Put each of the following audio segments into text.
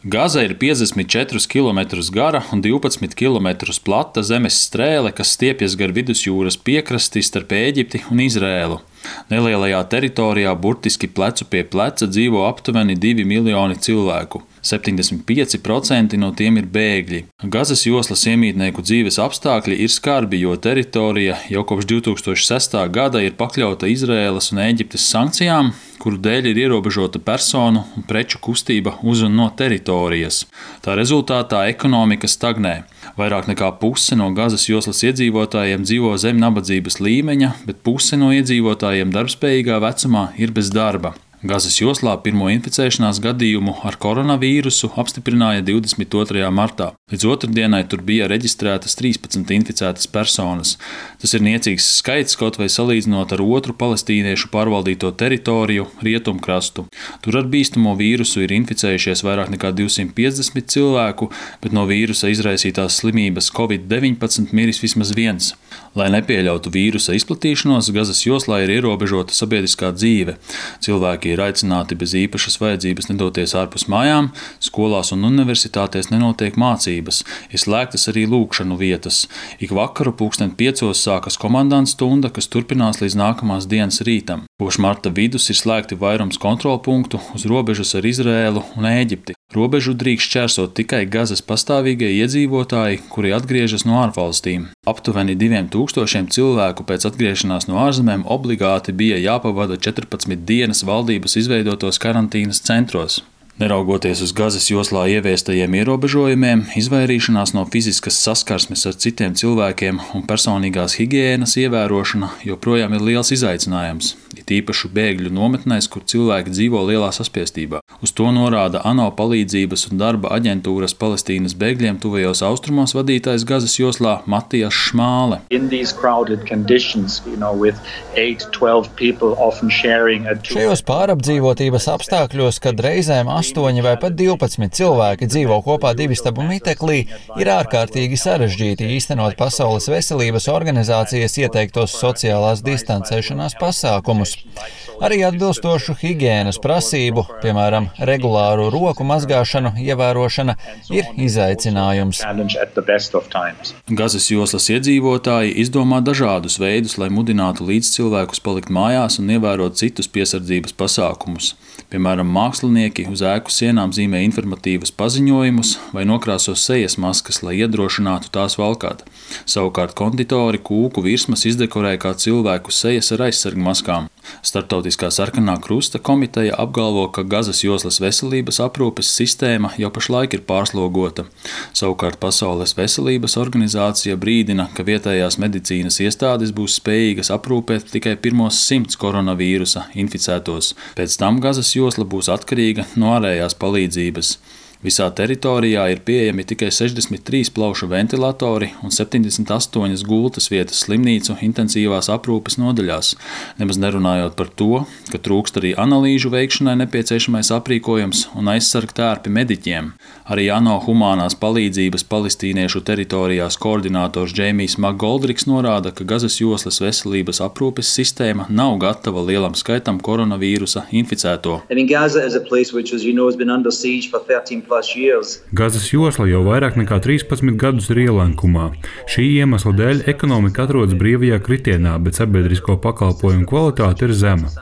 Gaza ir 54 km gara un 12 km plata zemes strēle, kas stiepjas gar vidusjūras piekrasti starp Ēģipti un Izrēlu. Nelielajā teritorijā burtiski plecu pie pleca dzīvo aptuveni 2 miljoni cilvēku. 75% no tiem ir bēgļi. Gazas joslas iemītnieku dzīves apstākļi ir skarbi, jo teritorija jau kopš 2006. gada ir pakļauta Izrēlas un Ēģiptes sankcijām, kuru dēļ ir ierobežota personu un preču kustība uz un no teritorijas. Tā rezultātā ekonomika stagnē. Vairāk nekā puse no Gazas joslas iedzīvotājiem dzīvo zem nabadzības līmeņa, bet puse no iedzīvotājiem darbspējīgā vecumā ir bez darba. Gazas joslā pirmo inficēšanās gadījumu ar koronavīrusu apstiprināja 22. martā. Līdz otrdienai tur bija reģistrētas 13 inficētas personas. Tas ir niecīgs skaits, kaut vai salīdzinot ar otru palestīniešu pārvaldīto teritoriju rietumkrastu. Tur ar bīstamo vīrusu ir inficējušies vairāk nekā 250 cilvēku, bet no vīrusa izraisītās slimības Covid-19 miris vismaz viens. Lai nepieļautu vīrusa izplatīšanos, Gazas joslā ir ierobežota sabiedriskā dzīve. Cilvēki ir aicināti bez īpašas vajadzības nedoties ārpus mājām, skolās un universitātēs nenotiek mācības, ir slēgtas arī lūgšanu vietas. Ik vakaru 5:00 sākas komandanta stunda, kas turpinās līdz nākamās dienas rītam. Kopš marta vidus ir slēgti vairums kontrolpunktu uz robežas ar Izrēlu un Ēģipti. Robežu drīkst šķērsot tikai Gazas pastāvīgie iedzīvotāji, kuri atgriežas no ārvalstīm. Aptuveni 2000 cilvēku pēc atgriešanās no ārzemēm obligāti bija jāpavada 14 dienas valdības izveidotos karantīnas centros. Neraugoties uz Gazas joslā ieviestajiem ierobežojumiem, izvairīšanās no fiziskas saskarsmes ar citiem cilvēkiem un personīgās higienas ievērošana joprojām ir liels izaicinājums, it īpaši bēgļu nometnēs, kur cilvēki dzīvo lielā saspiestībā. Uz to norāda ANO palīdzības un darba aģentūras Palestīnas bēgļiem tuvajos austrumos vadītājs Gazas joslā Matijas Šmāle. Šajos pārapdzīvotības apstākļos, kad reizēm 8 vai pat 12 cilvēki dzīvo kopā divistabu miteklī, ir ārkārtīgi sarežģīti īstenot Pasaules veselības organizācijas ieteiktos sociālās distancēšanās pasākumus. Arī atbilstošu higienas prasību, piemēram, regulāru roku mazgāšanu ievērošana, ir izaicinājums. Gazas joslas iedzīvotāji izdomā dažādus veidus, lai mudinātu līdzcilvēkus palikt mājās un ievērot citus piesardzības pasākumus. Piemēram, mākslinieki uz ēku sienām zīmē informatīvus paziņojumus vai nokrāso sejas maskas, lai iedrošinātu tās valkāt. Savukārt konditori kūku virsmas izdekorē kā cilvēku sejas ar aizsargmaskām. Starptautiskā sarkanā krusta komiteja apgalvo, ka Gazas joslas veselības aprūpes sistēma jau pašlaik ir pārslogota. Savukārt Pasaules veselības organizācija brīdina, ka vietējās medicīnas iestādes būs spējīgas aprūpēt tikai pirmos 100 koronavīrusa inficētos. Pēc tam Gazas josla būs atkarīga no ārējās palīdzības. Visā teritorijā ir pieejami tikai 63 plaušu ventilatori un 78 gultas vietas slimnīcu intensīvās aprūpes nodaļās, nemaz nerunājot par to, ka trūkst arī analīžu veikšanai nepieciešamais aprīkojums un aizsargtērpi mediķiem. Arī ANO humānās palīdzības palestīniešu teritorijās koordinators Džeimijs Makgoldriks norāda, ka Gazas joslas veselības aprūpes sistēma nav gatava lielam skaitam koronavīrusa inficēto. Gazas josla jau vairāk nekā 13 gadus ir ielenkumā. Šī iemesla dēļ ekonomika atrodas brīvajā kritienā, bet sabiedrisko pakalpojumu kvalitāte ir zema.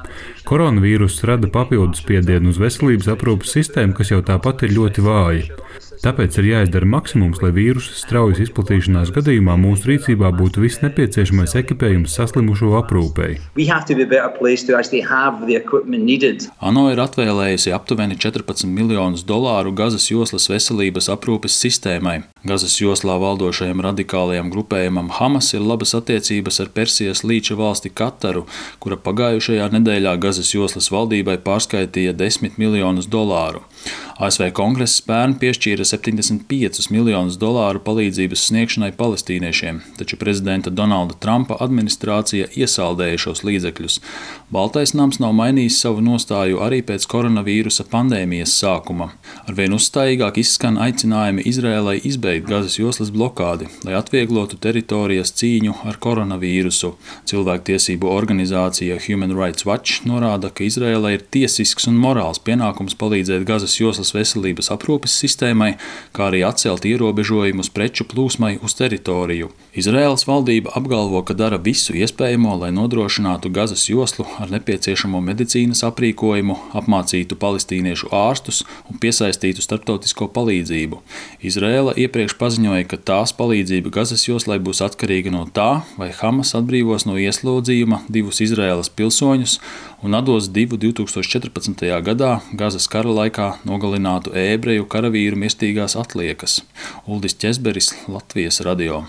Koronavīruss rada papildus spiedienu uz veselības aprūpes sistēmu, kas jau tāpat ir ļoti vāja. Tāpēc ir jāizdara maksimums, lai vīrusa straujas izplatīšanās gadījumā mūsu rīcībā būtu viss nepieciešamais ekipējums saslimušo aprūpei. ANO ir atvēlējusi aptuveni $14 miljonus Gazas joslas veselības aprūpes sistēmai. Gazas joslā valdošajam radikālajam grupējumam Hamas ir labas attiecības ar Persijas līča valsti Kataru, kura pagājušajā nedēļā Gazas joslas valdībai pārskaitīja $10 miljonus. ASV kongress pērn piešķīra piešķīra $75 miljonus palīdzības sniegšanai palestīniešiem, taču prezidenta Donalda Trumpa administrācija iesaldēja šos līdzekļus. Baltais nams nav mainījis savu nostāju arī pēc koronavīrusa pandēmijas sākuma. Arvien uzstājīgāk izskan aicinājumi Izrēlai izbeigt Gazas joslas blokādi, lai atvieglotu teritorijas cīņu ar koronavīrusu. Cilvēktiesību organizācija Human Rights Watch norāda, ka Izrēlai ir tiesisks un morāls pienākums palīdzēt Gazas joslas veselības aprūpes sistēmai, kā arī atcelt ierobežojumus preču plūsmai uz teritoriju. Izraēlas valdība apgalvo, ka dara visu iespējamo, lai nodrošinātu Gazas joslu ar nepieciešamo medicīnas aprīkojumu, apmācītu palestīniešu ārstus un piesaistītu starptautisko palīdzību. Izraēla iepriekš paziņoja, ka tās palīdzība Gazas joslai būs atkarīga no tā, vai Hamas atbrīvos no ieslodzījuma 2 Izraēlas pilsoņus un atdos 2 2014. gadā Gazas kara laikā nogalinātu ebreju karavīru mirstīgās atliekas. Uldis Ķezberis, Latvijas radio.